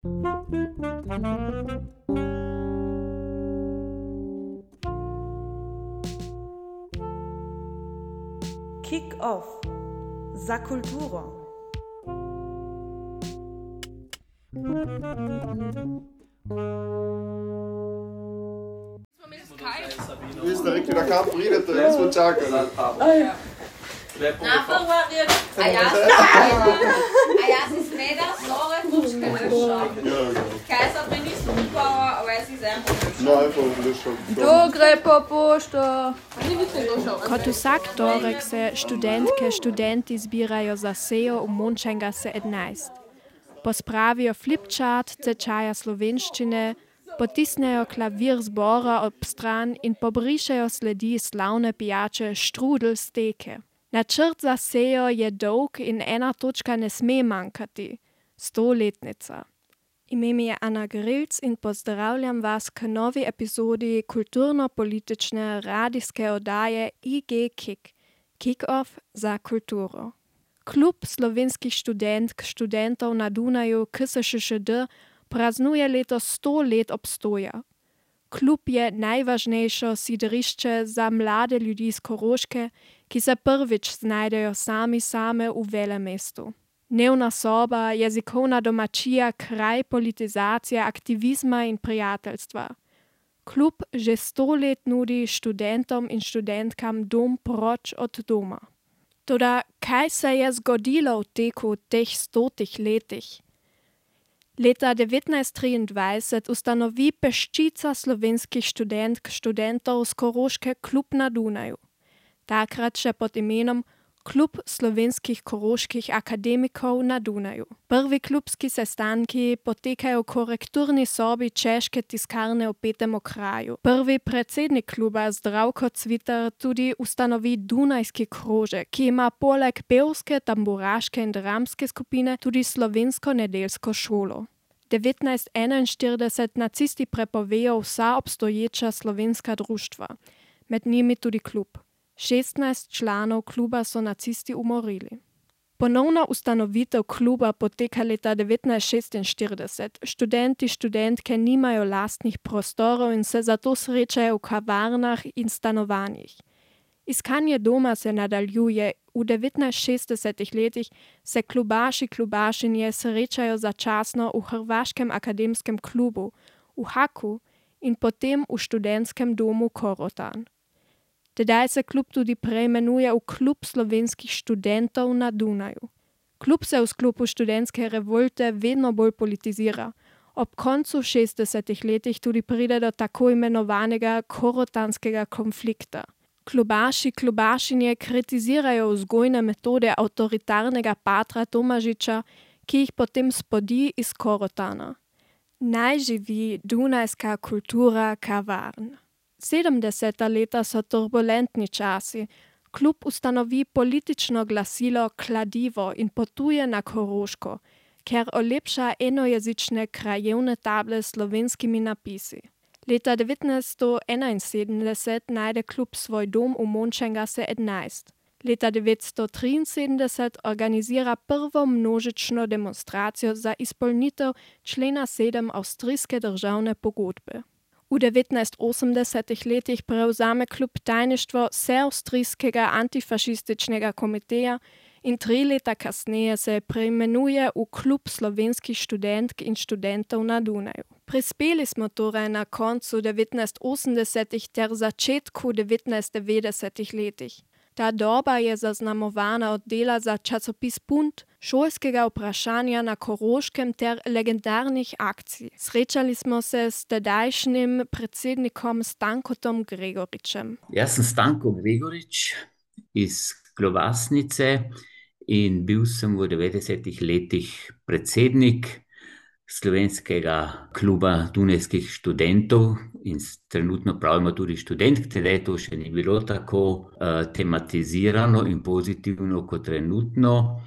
Kick-off za kulturo. Vi ste rekli, da kam pridete, jaz smo čakali. Napovarjati. A jaz si smedal nove puške našel. Kaj so prinesli Nikova, a jaz si zemljo našel. Kdo gre po pošto? Kot vsak torek se študentke, študenti zbirajo za sejo v Mončenga se 11. Pospravijo flipchart tečaja slovenščine, potisnejo klavir zbora ob stran in pobrišejo sledi slavne pijače štrudel steke. Načrt za sejo je dolg in ena točka ne sme manjkati. 100-letnica. Ime mi je Ana Grilc in pozdravljam vas k novi epizodi kulturno-politične radijske oddaje IG Kick. Kick-off za kulturo. Klub slovenskih študentk, študentov na Dunaju KSŠŠD praznuje letos 100 let obstoja. Klub je najvažnejše sidrišče za mlade ljudi iz Koroške, ki se prvič znajdejo same v velemestu. Dnevna soba, jezikovna domačija, kraj politizacije, aktivizma in prijateljstva. Klub že 100 let nudi študentom in študentkam dom proč od doma. Toda kaj se je zgodilo v teku teh 100 letih? Leta 1923 ustanovi peščica slovenskih študentov z Koroške klub na Dunaju. Takrat še pod imenom Klub slovenskih koroških akademikov na Dunaju. Prvi klubski sestanki potekajo v korekturni sobi Češke tiskarne v Petem okraju. Prvi predsednik kluba Zdravko Cvitar tudi ustanovi Dunajski krožek, ki ima poleg pevske, tamburaške in dramske skupine tudi slovensko nedeljsko šolo. 1941 nacisti prepovejo vsa obstoječa slovenska društva, med njimi tudi klub. 16 članov kluba so nacisti umorili. Ponovna ustanovitev kluba poteka leta 1946. Študentke nimajo lastnih prostorov in se zato srečajo v kavarnah in stanovanjih. Iskanje doma se nadaljuje. V 1960 letih se klubašinje srečajo začasno v Hrvaškem akademskem klubu, v Haku in potem v študentskem domu Korotan. Tedaj se klub tudi preimenuje v Klub slovenskih študentov na Dunaju. Klub se v sklopu študentske revolte vedno bolj politizira. Ob koncu 60 letih tudi pride do tako imenovanega korotanskega konflikta. Klubašinje kritizirajo vzgojne metode avtoritarnega patra Tomažiča, ki jih potem spodi iz Korotana. Naj živi dunajska kultura kavarn. 70. leta so turbulentni časi. Klub ustanovi politično glasilo Kladivo in potuje na Koroško, ker olepša enojezične krajevne table s slovenskimi napisi. Leta 1971 najde klub svoj dom v Mončenga se 11. Leta 1973 organizira prvo množično demonstracijo za izpolnitev člena 7 avstrijske državne pogodbe. V 1980 letih prevzame klub tajništvo Vseavstrijskega antifašističnega komiteja in 3 leta kasneje se preimenuje v Klub slovenskih študentk in študentov na Dunaju. Prispeli smo torej na koncu 1980 ter začetku 1990 letih. Ta doba je zaznamovana od dela za časopis Punt, šolskega vprašanja na Koroškem ter legendarnih akcij. Srečali smo se s tedajšnjim predsednikom Stankom Gregoričem. Jaz sem Stanko Gregorič iz Klobasnice in bil sem v 90 letih predsednik Slovenskega kluba dunajskih študentov in trenutno pravimo tudi študentk, tedaj to še ni bilo tako tematizirano in pozitivno kot trenutno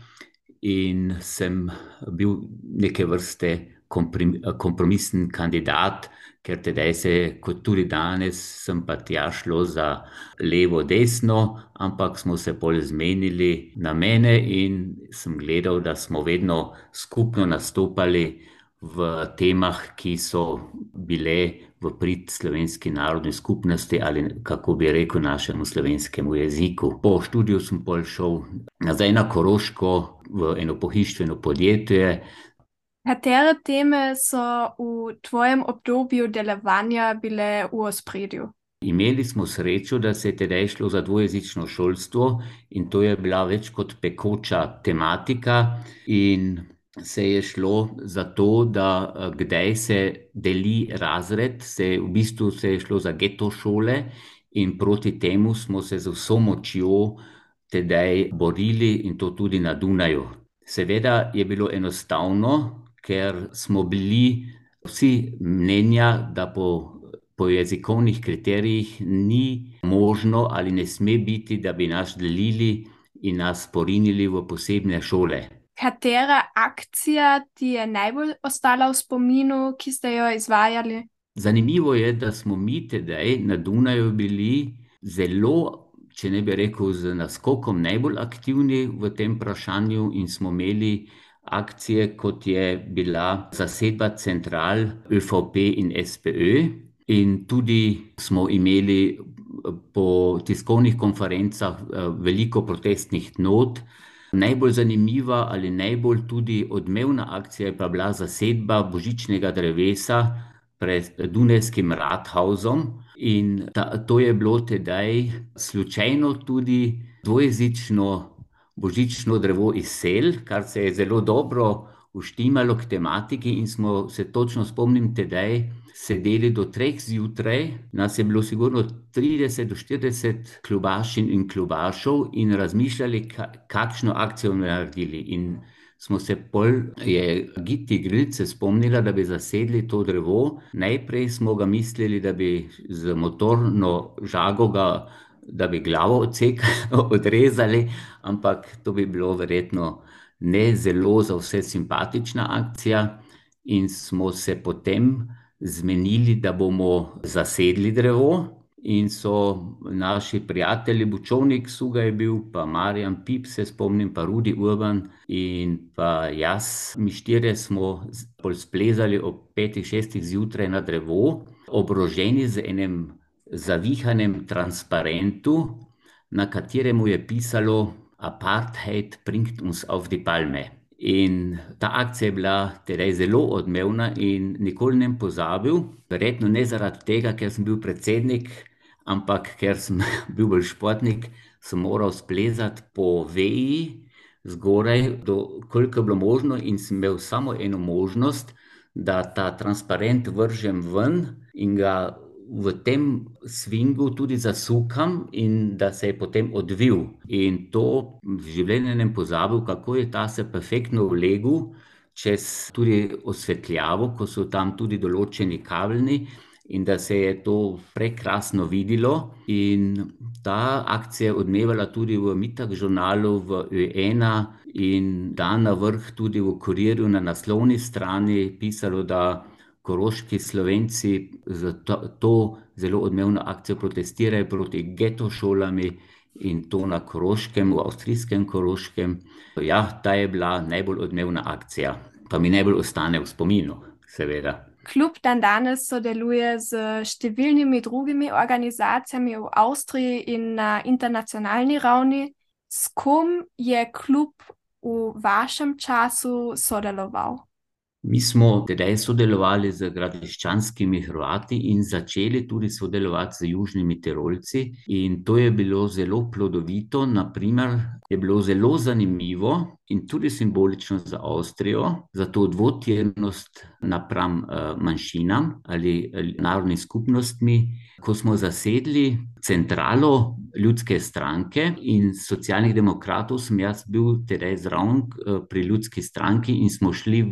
in sem bil neke vrste kompromisen kandidat, ker tedaj se, kot tudi danes, sem pa tja šlo za levo-desno, ampak smo se bolj zmenili na mene in sem gledal, da smo vedno skupno nastopali v temah, ki so bile v prid slovenski narodni skupnosti ali, kako bi rekel, našemu slovenskemu jeziku. Po študiju sem pol šel nazaj na Koroško v eno pohištveno podjetje. Katere teme so v tvojem obdobju delovanja bile v ospredju? Imeli smo srečo, da se je tedaj šlo za dvojezično šolstvo in to je bila več kot pekoča tematika in se je šlo za to, da kdaj se deli razred, v bistvu se je šlo za geto šole in proti temu smo se z vso močjo tedaj borili in to tudi na Dunaju. Seveda je bilo enostavno, ker smo bili vsi mnenja, da po jezikovnih kriterijih ni možno ali ne sme biti, da bi nas delili in nas porinili v posebne šole. Katera akcija ti je najbolj ostala v spominu, ki ste jo izvajali? Zanimivo je, da smo mi tedaj na Dunaju bili zelo, če ne bi rekel z naskokom, najbolj aktivni v tem vprašanju in smo imeli akcije, kot je bila zasedba central ÖVP in SPÖ. In tudi smo imeli po tiskovnih konferencah veliko protestnih not. Najbolj zanimiva ali najbolj tudi odmevna akcija je pa bila zasedba božičnega drevesa pred Dunajskim Rathausom. In to je bilo tedaj slučajno tudi dvojezično božično drevo iz Sel, kar se je zelo dobro uštimalo k tematiki in smo se točno spomnim tedaj sedeli do 3 zjutraj, nas je bilo sigurno 30 do 40 klubašin in klubašov in razmišljali, kakšno akcijo bomo naredili. In smo se je Gitti Grilc se spomnila, da bi zasedli to drevo. Najprej smo ga mislili, da bi z motorno žago da bi glavo odrezali, ampak to bi bilo verjetno ne zelo za vse simpatična akcija in smo se potem zmenili, da bomo zasedli drevo in so naši prijatelji, Bučovnik Suga je bil, pa Marjan Pip se spomnim, pa Rudi Urban in pa jaz. Mi štirje smo splezali ob 5-6 zjutraj na drevo, obroženi z enem zavihanem transparentu, na kateremu je pisalo Apartheid bringt uns auf die Palme. In ta akcija je bila tedaj zelo odmevna in nikoli ne pozabil, verjetno ne zaradi tega, ker sem bil predsednik, ampak ker sem bil bolj športnik, sem moral splezati po veji zgoraj, koliko je bilo možno in sem imel samo eno možnost, da ta transparent vržem ven in ga v tem svingu tudi zasukam in da se je potem odvil. In to v življenju ne pozabil, kako je ta se perfektno vlegel čez tudi osvetljavo, ko so tam tudi določeni kabelni in da se je to prekrasno videlo. In ta akcija je odmevala tudi v Mittag žurnalu, v Ö1 in dan na vrh tudi v Kurirju na naslovni strani pisalo, da koroški Slovenci za to zelo odmevno akcijo protestirajo proti geto šolami in to na Koroškem, v avstrijskem Koroškem. Ja, ta je bila najbolj odmevna akcija, pa mi najbolj ostane v spominu, seveda. Klub dandanes sodeluje z številnimi drugimi organizacijami v Avstriji in na internacionalni ravni. S kom je klub v vašem času sodeloval? Mi smo tedaj sodelovali z gradiščanskimi Hrvati in začeli tudi sodelovati z južnimi Tirolci in to je bilo zelo plodovito. Naprimer, je bilo zelo zanimivo in tudi simbolično za Avstrijo, za to dvotirnost napram manjšinam ali narodnim skupnostmi. Ko smo zasedli centralo Ljudske stranke in Socialnih demokratov, sem jaz bil tedaj zraven pri Ljudski stranki in smo šli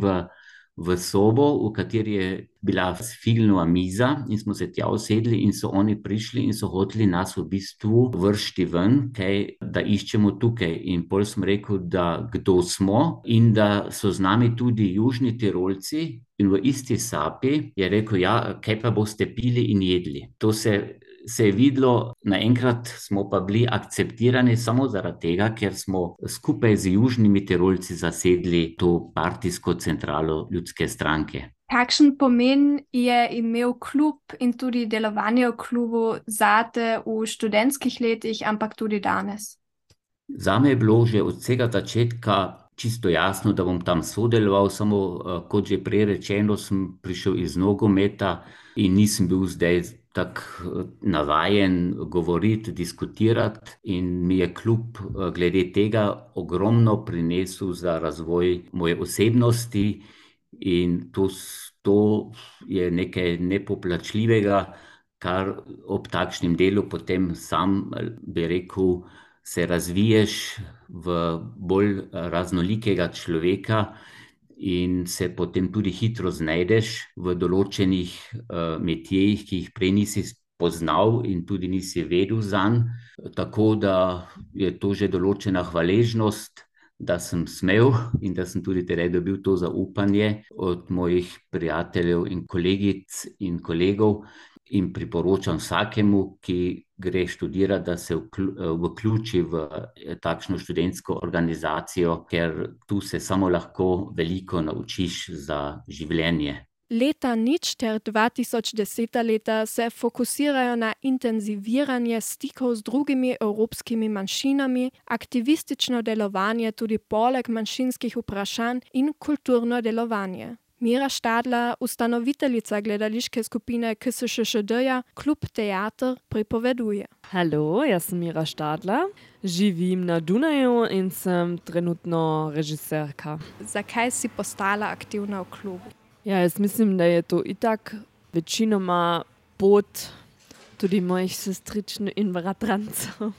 v sobo, v kateri je bila filmova miza in smo se tja usedli in so oni prišli in so hoteli nas v bistvu vršiti ven, da iščemo tukaj. In pol sem rekel, da kdo smo in da so z nami tudi južni Tirolci in v isti sapi je rekel, ja, kaj pa boste pili in jedli. To se se je videlo, naenkrat smo pa bili akceptirani samo zaradi tega, ker smo skupaj z južnimi Tirolci zasedli to partijsko centralo ljudske stranke. Kakšen pomen je imel klub in tudi delovanje v klubu zate v študentskih letih, ampak tudi danes? Zame je bilo že od vsega začetka čisto jasno, da bom tam sodeloval, samo kot že prej rečeno, sem prišel iz nogometa in nisem bil zdaj tako navajen govoriti, diskutirati in mi je klub glede tega ogromno prinesel za razvoj moje osebnosti in to je nekaj nepoplačljivega, kar ob takšnem delu potem sam, bi rekel, se razviješ v bolj raznolikega človeka in se potem tudi hitro znajdeš v določenih metjejih, ki jih prej nisi poznal in tudi nisi vedel zanj. Tako da je to že določena hvaležnost, da sem smel in da sem tudi tedaj dobil to zaupanje od mojih prijateljev in kolegic in kolegov in priporočam vsakemu, ki gre študirati, da se vključi v takšno študentsko organizacijo, ker tu se samo lahko veliko naučiš za življenje. Leta nič ter 2010 leta se fokusirajo na intenziviranje stikov z drugimi evropskimi manjšinami, aktivistično delovanje tudi poleg manjšinskih vprašanj in kulturno delovanje. Mira Štadla, ustanoviteljica gledališke skupine KSŠŠD-ja Klub Teater, pripoveduje. Hallo, jaz sem Mira Štadla, živim na Dunaju in sem trenutno režiserka. Zakaj si postala aktivna v klubu? Ja, jaz mislim, da je to itak večinoma pot tudi mojih sestričn in bratrancev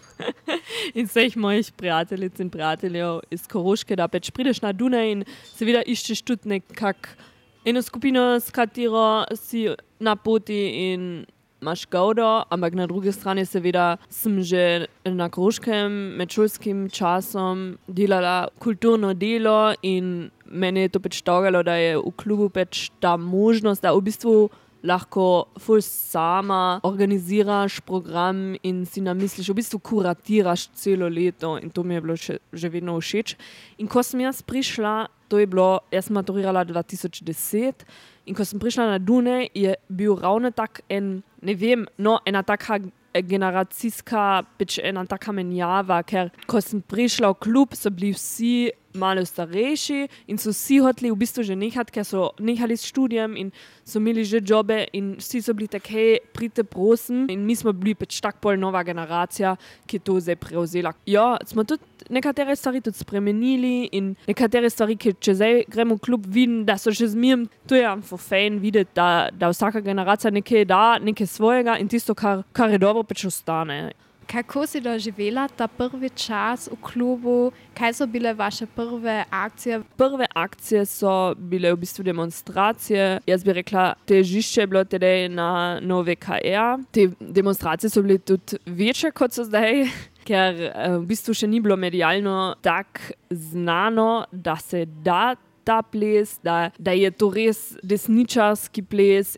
in vseh mojih prijateljic in prijateljev iz Koroške, da pač prideš na Dunaj in seveda iščeš tudi nekak eno skupino, s katero si na poti in imaš gaudo, ampak na drugi strani seveda sem že na Koroškem med šolskim časom delala kulturno delo in meni je to pač togalo, da je v klubu pač ta možnost, da v bistvu lahko ful sama organiziraš program in si namisliš, v bistvu kuratiraš celo leto in to mi je bilo že vedno všeč. In ko sem jaz prišla, to je bilo, jaz sem maturirala 2010 in ko sem prišla na Dunaj, je bil ravno tak ena taka generacijska, pač ena taka menjava, ker ko sem prišla v klub, so bili vsi malo starejši in so vsi hoteli v bistvu že nehati, ker so nehali s študijem in so imeli že jobe in vsi so bili tak, hej, pridite prosim. In mi smo bili pač tak pol nova generacija, ki je to zdaj prevzela. Ja, smo tudi nekatere stvari tudi spremenili in nekatere stvari, ki če zdaj gremo v klub, vidim, da so še zmijem. To je for fajn videti, da vsaka generacija nekaj da, nekaj svojega in tisto, kar je dobro, pač ostane. Kako si doživela ta prvi čas v klubu? Kaj so bile vaše prve akcije? Prve akcije so bile v bistvu demonstracije. Jaz bi rekla, težišče je bilo tedaj na NoVKR. Te demonstracije so bile tudi večje, kot so zdaj, ker v bistvu še ni bilo medialno tako znano, da se da ta ples, da je to res desničarski ples.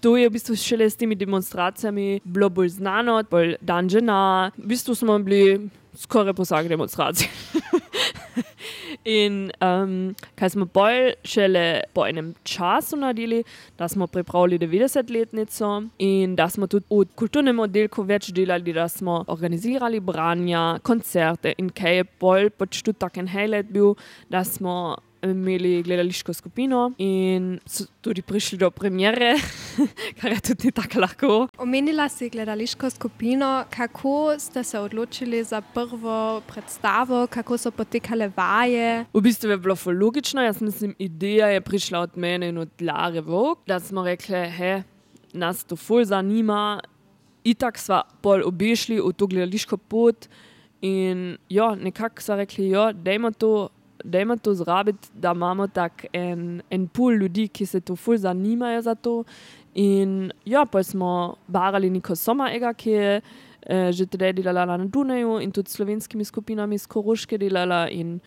To je v bistvu šele s temi demonstracijami bilo bolj znano, bolj dan žena. V bistvu smo bili skoraj po vsaki demonstraciji. In kaj smo bolj šele po enem času naredili, da smo pripravili 90-letnico in da smo tudi v kulturnem oddelku več delali, da smo organizirali branja, koncerte in kaj je bolj pač tudi tak en highlight bil, da smo imeli gledališko skupino in so tudi prišli do premiere, kar je tudi tako lahko. Omenila si gledališko skupino. Kako ste se odločili za prvo predstavo? Kako so potekale vaje? V bistvu je bilo ful logično. Jaz mislim, ideja je prišla od mene in od Lare Vog, da smo rekli, nas to ful zanima. Itak sva pol obešli v to gledališko pot in nekako sva rekli, dajmo to zrabiti, da imamo tak en pool ljudi, ki se to ful zanimajo za to. In pa smo barali Niko Sommerega, ki je že tedaj delala na Dunaju in tudi s slovenskimi skupinami z Koroške delala. In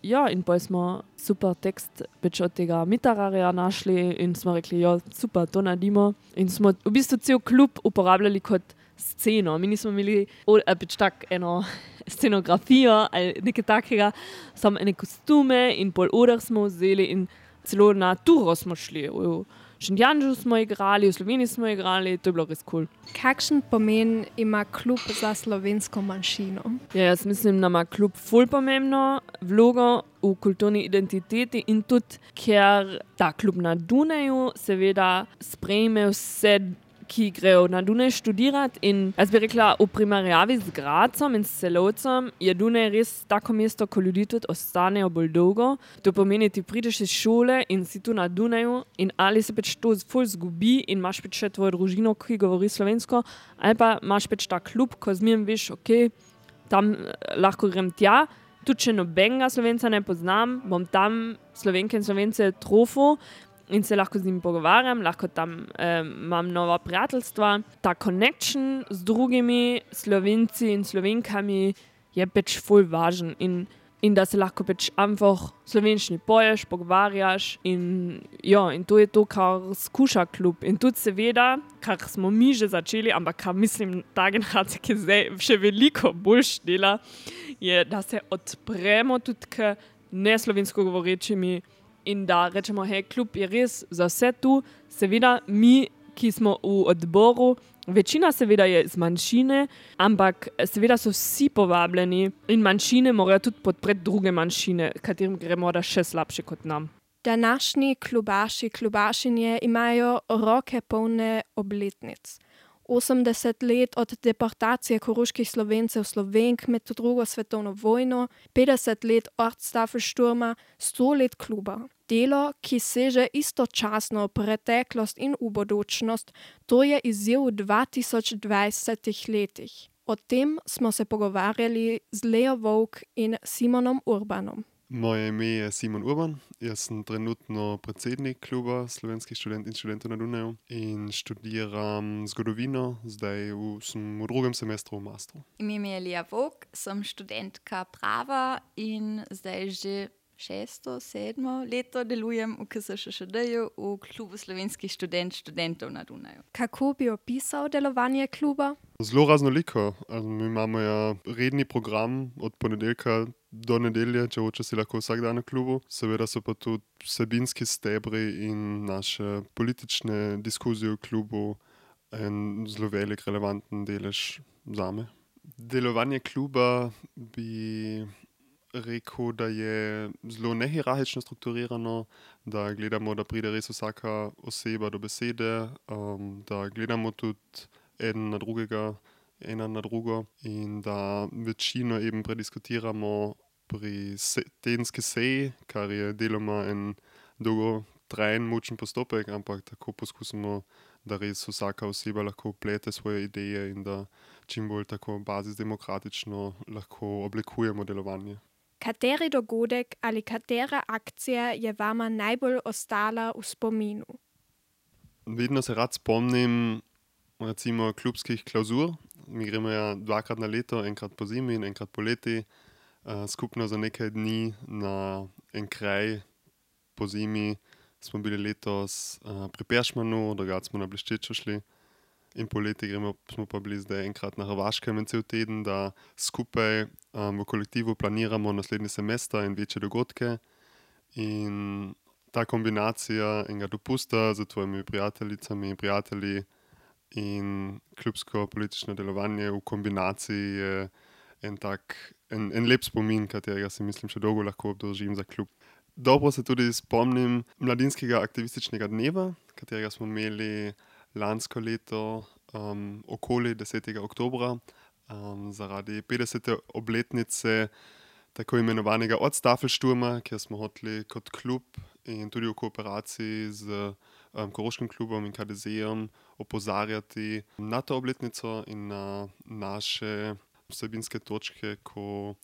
pa smo super tekst več od tega Mitararja našli in smo rekli, super, to naredimo. In smo v bistvu cel klub uporabljali kot sceno. Mi nismo imeli pač tak eno scenografijo ali nekaj takega, samo ene kostume in pol ure smo vzeli in celo na turo smo šli. V Šentjanžu smo igrali, v Sloveniji smo igrali, to je bilo res cool. Kakšen pomen ima klub za slovensko manjšino? Ja, jaz mislim, da ima klub ful pomembno vlogo v kulturni identiteti in tudi, ker ta klub na Dunaju seveda sprejme vse, ki grejo na Dunaj študirati in jaz bi rekla, v primerjavi z Grazom in s Celovcem je Dunaj res tako mesto, ko ljudi tudi ostanejo bolj dolgo. To pomeni, ti prideš iz šole in si tu na Dunaju in ali se pač to ful zgubi in imaš pač še tvojo družino, ki govori slovensko, ali pa imaš pač ta klub, ko zmijem veš, ok, tam lahko grem tja, tudi če nobenega Slovenca ne poznam, bom tam Slovenke in Slovence trofil, in se lahko z njim pogovarjam, lahko tam imam nova prijateljstva. Ta connection z drugimi Slovenci in Slovenkami je pač ful važen in da se lahko pač einfach slovenščini poješ, pogovarjaš in to je to, kar skuša klub. In tudi seveda, kar smo mi že začeli, ampak kar mislim, ta generacija, ki zdaj še veliko boljš dela, je, da se odpremo tudi k neslovensko govorečimi in da rečemo, hej, klub je res za vse tu. Seveda mi, ki smo v odboru, večina seveda je iz manjšine, ampak seveda so vsi povabljeni in manjšine morajo tudi podpreti druge manjšine, katerim gre morda še slabše kot nam. Današnji klubaši, klubašinje imajo roke polne obletnic. 80 let od deportacije koroških Slovencev Slovenk med drugo svetovno vojno, 50 let Ortstafelsturma, 100 let kluba. Delo, ki seže istočasno v preteklost in v bodočnost, to je izziv v 2020 letih. O tem smo se pogovarjali z Leo Volk in Simonom Urbanom. Moje ime je Simon Urban, jaz sem trenutno predsednik kluba slovenskih študent in študentov na Dunaju in študiram zgodovino, zdaj sem v drugem semestru v mastru. Ime mi je Lea Volk, sem študentka prava in zdaj že 6., 7. leto delujem v KSŠŠD-ju v klubu slovenskih študentov na Dunaju. Kako bi opisal delovanje kluba? Zelo raznoliko. Mi imamo redni program od ponedeljka do nedelje, če hoče si lahko vsak dan na klubu. Seveda so pa tudi vsebinski stebri in naše politične diskuzije v klubu en zelo velik relevanten delež zame. Delovanje kluba bi rekel, da je zelo nehierarhično strukturirano, da gledamo, da pride res vsaka oseba do besede, da gledamo tudi ena na drugo in da večino eben prediskutiramo pri tedenski seji, kar je deloma en dolgotrajen mučen postopek, ampak tako poskusimo, da res vsaka oseba lahko vplete svoje ideje in da čim bolj tako bazisdemokratično lahko oblikujemo delovanje. Kateri dogodek ali katera akcija je vama najbolj ostala v spominu? Vedno se rad spomnim recimo klubskih klauzur. Mi gremo 2-krat na leto, enkrat po zimi in enkrat po leti, skupno za nekaj dni na en kraj po zimi. Smo bili letos pri Peršmanu, drugače smo na Bleščečo šli. In po leti smo pa bili zdaj enkrat na Hrvaškem en cel teden, da skupaj v kolektivu planiramo naslednji semester in večje dogodke. In ta kombinacija enega dopusta z tvojimi prijateljicami in prijatelji in klubsko politično delovanje v kombinaciji je en lep spomin, katerega si mislim še dolgo lahko obdržim za klub. Dobro se tudi spomnim mladinskega aktivističnega dneva, katerega smo imeli lansko leto okoli 10. oktobra zaradi 50. obletnice tako imenovanega Ortstafelsturma, kjer smo hoteli kot klub in tudi v kooperaciji z Koroškim klubom in KDZ-jem opozarjati na to obletnico in na naše vsebinske točke, ko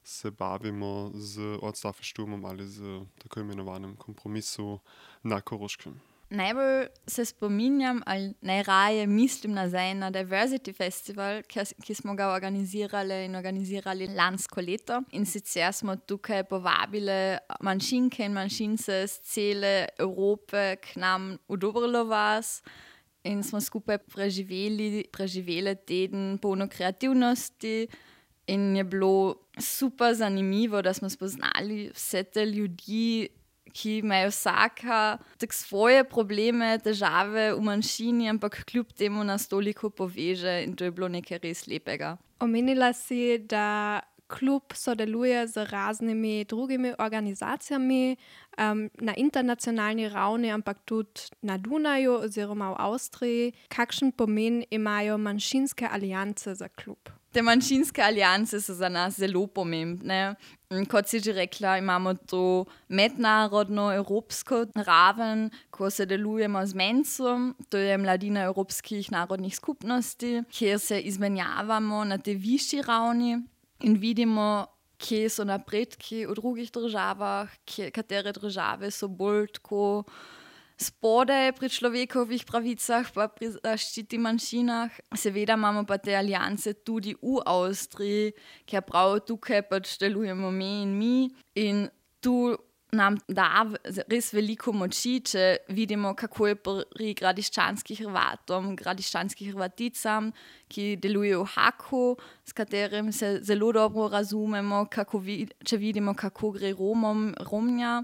se bavimo z Ortstafelsturmom ali z tako imenovanim kompromisu na Koroškem. Najbolj se spominjam ali najraje mislim nazaj na Diversity Festival, ki smo ga organizirali lansko leto. In sicer smo tukaj povabili manjšinke in manjšince z cele Evrope k nam v Dobrlo vas in smo skupaj preživeli teden polno kreativnosti in je bilo super zanimivo, da smo spoznali vse te ljudi, ki imajo vsaka tak svoje probleme, težave v manjšini, ampak kljub temu nas toliko poveže in to je bilo nekaj res lepega. Omenila si, da klub sodeluje z raznimi drugimi organizacijami na internacionalni ravni, ampak tudi na Dunaju oziroma v Avstriji. Kakšen pomen imajo manjšinske alianse za klub? Te manjšinske alianse so za nas zelo pomembne. Kot si že rekla, imamo to mednarodno evropsko raven, ko sodelujemo z MENC-om, to je Mladina evropskih narodnih skupnosti, kjer se izmenjavamo na tej višji ravni in vidimo, kje so napredki v drugih državah, katere države so bolj tako spodaj pri človekovih pravicah pa pri zaščiti manjšinah. Seveda imamo pa te alianse tudi v Avstriji, ker prav tukaj pač delujemo mi in tu nam da res veliko moči, če vidimo, kako je pri gradiščanskih Hrvatom, gradiščanskih Hrvaticam, ki delujejo v Haku, s katerim se zelo dobro razumemo, če vidimo, kako gre Romja,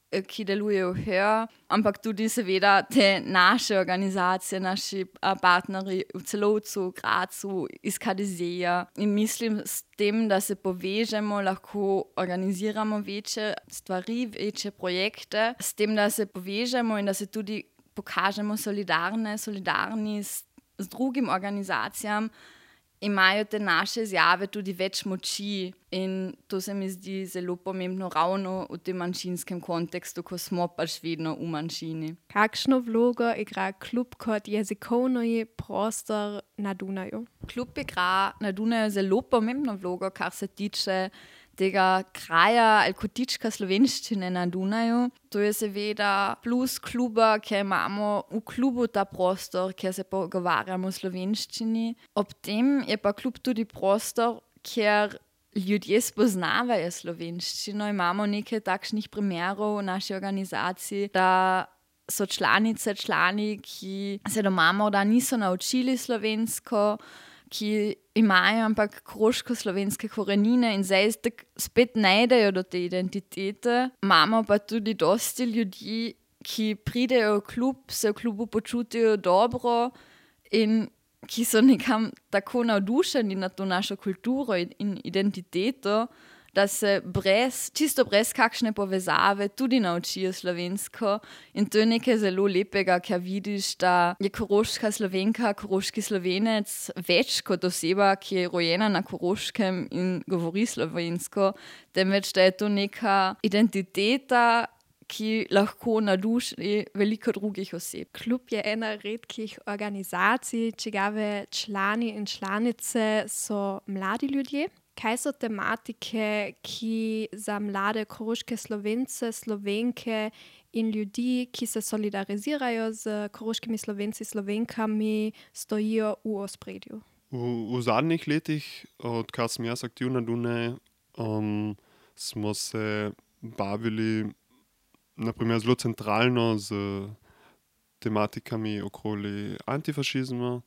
ki delujejo her, ampak tudi seveda te naše organizacije, naši partnerji v Celovcu, v Gracu, iz KDZ-ja. In mislim, s tem, da se povežemo, lahko organiziramo večje stvari, večje projekte, s tem, da se povežemo in da se tudi pokažemo solidarni z drugim organizacijam, imajo te naše izjave tudi več moči in to se mi zdi zelo pomembno ravno v tem manjšinskem kontekstu, ko smo pač vedno v manjšini. Kakšno vlogo igra klub kot jezikovni prostor na Dunaju? Klub igra na Dunaju zelo pomembno vlogo, kar se tiče tega kraja ali kotička slovenščine na Dunaju. To je seveda plus kluba, ker imamo v klubu ta prostor, kjer se pogovarjamo v slovenščini. Ob tem je pa klub tudi prostor, kjer ljudje spoznavajo slovenščino. Imamo nekaj takšnih primerov v naši organizaciji, da so članice, člani, ki se doma morda niso naučili slovensko, ki imajo ampak koroško-slovenske korenine in zdaj spet najdejo do te identitete. Imamo pa tudi dosti ljudi, ki pridejo v klub, se v klubu počutijo dobro in ki so nekam tako navdušeni na to našo kulturo in identiteto, da se čisto brez kakšne povezave tudi naučijo slovensko. In to je nekaj zelo lepega, ker vidiš, da je koroška Slovenka, koroški Slovenec več kot oseba, ki je rojena na Koroškem in govori slovensko, temveč da je to neka identiteta, ki lahko navduši veliko drugih oseb. Klub je ena redkih organizacij, čigave člani in članice so mladi ljudje. Kaj so tematike, ki za mlade koroške Slovence, Slovenke in ljudi, ki se solidarizirajo z koroškimi Slovenci, Slovenkami, stojijo v ospredju? V zadnjih letih, odkar sem jaz aktivna na Dunaju, smo se bavili naprimer zelo centralno z tematikami okoli antifašizma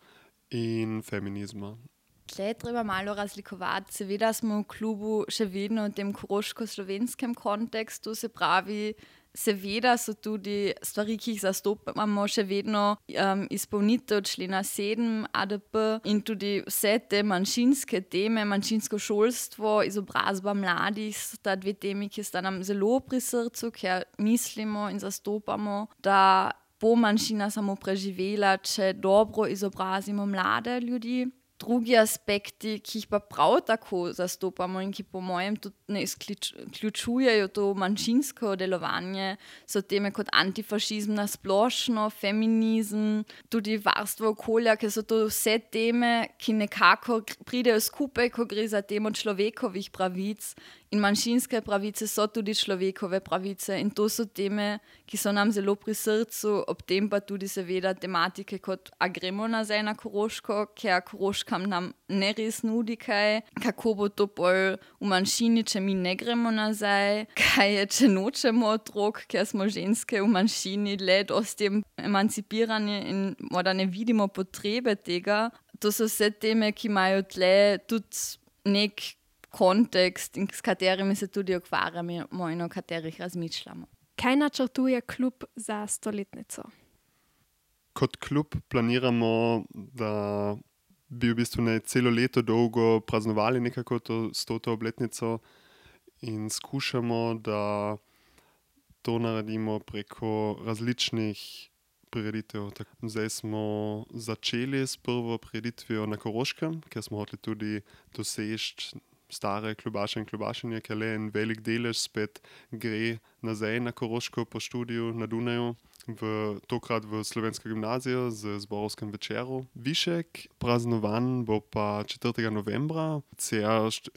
in feminizma. Tle treba malo razlikovati. Seveda smo v klubu še vedno v tem koroško-slovenskem kontekstu, se pravi, seveda so tudi stvari, ki jih zastopamo, še vedno izpolnitev člena 7 ADP in tudi vse te manjšinske teme, manjšinsko šolstvo, izobrazba mladih, sta dve temi, ki sta nam zelo pri srcu, ker mislimo in zastopamo, da bo manjšina samo preživela, če dobro izobrazimo mlade ljudi. Drugi aspekti, ki jih pa prav tako zastopamo in ki po mojem tudi ne izključujejo to manjšinsko delovanje, so teme kot antifašizm na splošno, feminizem, tudi varstvo okolja, ker so to vse teme, ki nekako pridejo skupaj, ko gre za temo človekovih pravic In manjšinske pravice so tudi človekove pravice in to so teme, ki so nam zelo pri srcu, ob tem pa tudi seveda tematike kot a gremo nazaj na Koroško, ker Koroškam nam ne res nudi kaj, kako bo to pol v manjšini, če mi ne gremo nazaj, kaj je, če nočemo otrok, ker smo ženske v manjšini dlje dosti emancipirane in morda ne vidimo potrebe tega. To so vse teme, ki imajo tle tudi nek kontekst, s katerimi se tudi ukvarjamo in o katerih razmišljamo. Kaj načrtuje klub za stoletnico? Kot klub planiramo, da bi v bistvu celo leto dolgo praznovali nekako to 100. obletnico in skušamo, da to naredimo preko različnih prireditev. Zdaj smo začeli s prvo prireditvijo na Koroškem, ker smo hoteli tudi doseči stare klubaše in klubašenje, ker le en velik delež spet gre nazaj na Koroško po študiju na Dunaju, tokrat v Slovensko gimnazijo z zborovskim večeru. Višek praznovan bo pa 4. novembra,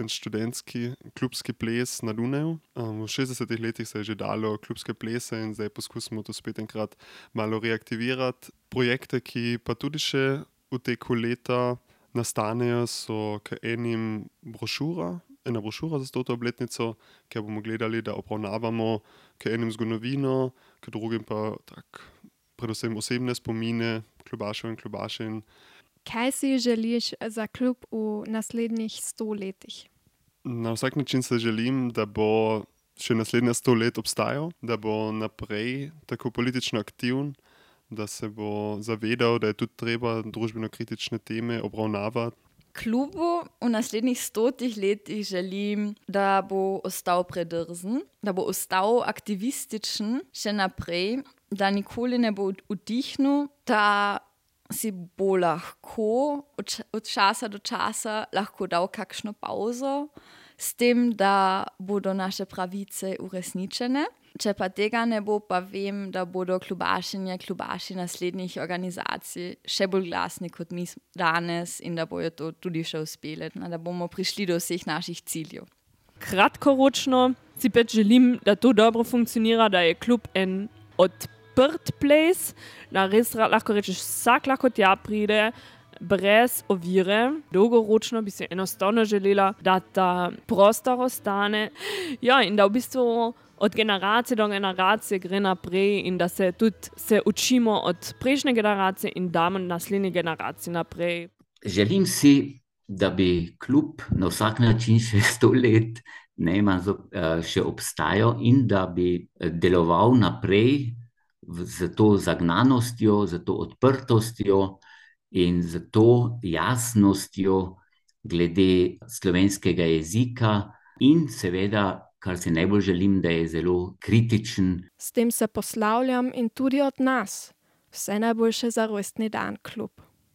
en študentski klubski ples na Dunaju. V 60. letih se je že dalo klubske plese in zdaj poskusimo to spet enkrat malo reaktivirati. Projekte, ki pa tudi še v teku leta nastanejo, so k ena brošura za 100. obletnico, kjer bomo gledali, da obravnavamo k enim zgodovino, k drugim pa predvsem osebne spomine klubašev in klubašin. Kaj si želiš za klub v naslednjih 100 letih? Na vsak način se želim, da bo še naslednja 100 let obstajal, da bo naprej tako politično aktiven, da se bo zavedal, da je tudi treba družbeno-kritične teme obravnavati. Klubu v naslednjih 100 letih želim, da bo ostal predrzen, da bo ostal aktivističen še naprej, da nikoli ne bo utihnil, da si bo lahko od časa do časa lahko dal kakšno pauzo, s tem, da bodo naše pravice uresničene. Če pa tega ne bo, pa vem, da bodo klubaši naslednjih organizacij še bolj glasni kot mi danes in da bojo to tudi še uspeli, da bomo prišli do vseh naših ciljev. Kratkoročno si pač želim, da to dobro funkcionira, da je klub en odprt place, da res lahko rečeš, vsak lahko tja pride, brez ovire. Dolgoročno bi se enostavno želela, da ta prostor ostane. Ja, in da v bistvu od generacije do generacije gre naprej in da se tudi učimo od prejšnje generacije in damo naslednje generacije naprej. Želim si, da bi klub na vsak način še 100 let še obstajal in da bi deloval naprej z to zagnanostjo, z to odprtostjo in z to jasnostjo glede slovenskega jezika in seveda, kar si najbolj želim, da je zelo kritičen. S tem se poslavljam in tudi od nas. Vse najboljše za rojstni dan, klub.